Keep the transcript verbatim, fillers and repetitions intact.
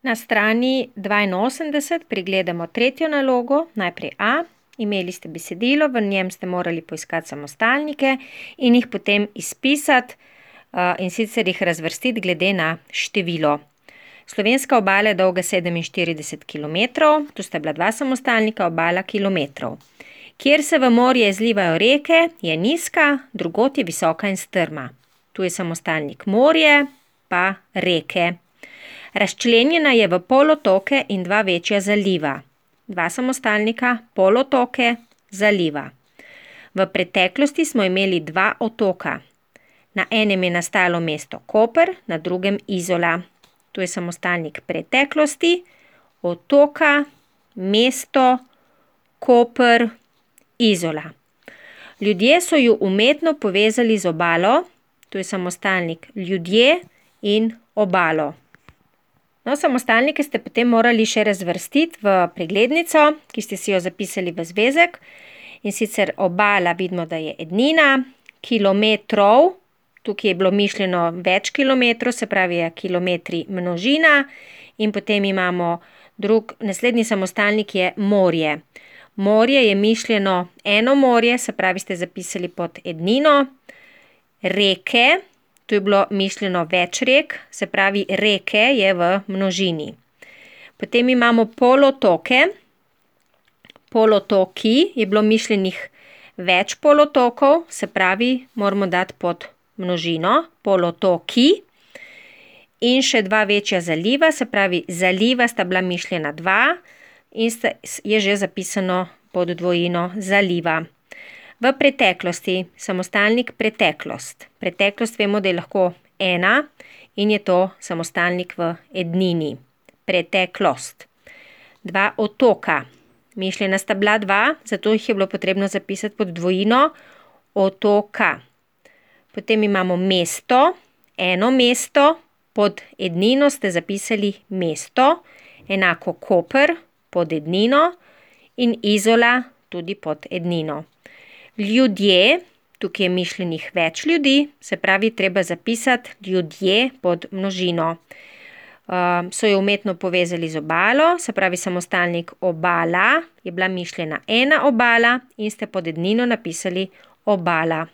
Na strani dvainosemdeset pregledamo tretjo nalogo, najprej A. Imeli ste besedilo, v njem ste morali poiskati samostalnike in jih potem izpisati, in sicer jih razvrstiti glede na število. Slovenska obala je dolga sedeminštirideset kilometrov, tu sta bila dva samostalnika, obala kilometrov. Kjer se v morje izlivajo reke, je nizka, drugod je visoka in strma. Tu je samostalnik morje, pa reke. Razčlenjena je v polotoke in dva večja zaliva. Dva samostalnika, polotoke, zaliva. V preteklosti smo imeli dva otoka. Na enem je nastalo mesto Koper, na drugem Izola. Tu je samostalnik preteklosti, otoka, mesto, Koper, Izola. Ljudje so ju umetno povezali z obalo, tu je samostalnik ljudje in obalo. No, samostalnike ste potem morali še razvrstiti v preglednico, ki ste si jo zapisali v zvezek. In sicer obala vidimo, da je ednina, kilometrov, tukaj je bilo mišljeno več kilometrov, se pravi je kilometri množina. In potem imamo drug, naslednji samostalnik je morje. Morje je mišljeno eno morje, se pravi ste zapisali pod ednino. Reke, tu je bilo mišljeno več rek, se pravi reke je v množini. Potem imamo polotoke. Polotoki je bilo mišljenih več polotokov, se pravi moramo dati pod množino, polotoki. In še dva večja zaliva, se pravi zaliva sta bila mišljena dva in sta, je že zapisano pod dvojino zaliva. V preteklosti, samostalnik preteklost. Preteklost vemo, da je lahko ena in je to samostalnik v ednini. Preteklost. Dva otoka. Mišljena sta bila dva, zato jih je bilo potrebno zapisati pod dvojino otoka. Potem imamo mesto, eno mesto, pod ednino ste zapisali mesto, enako Koper pod ednino in Izola tudi pod ednino. Ljudje, tukaj je mišljenih več ljudi, se pravi treba zapisati ljudje pod množino. Uh, so jo umetno povezali z obalo, se pravi samostalnik obala, je bila mišljena ena obala in ste pod ednino napisali obala.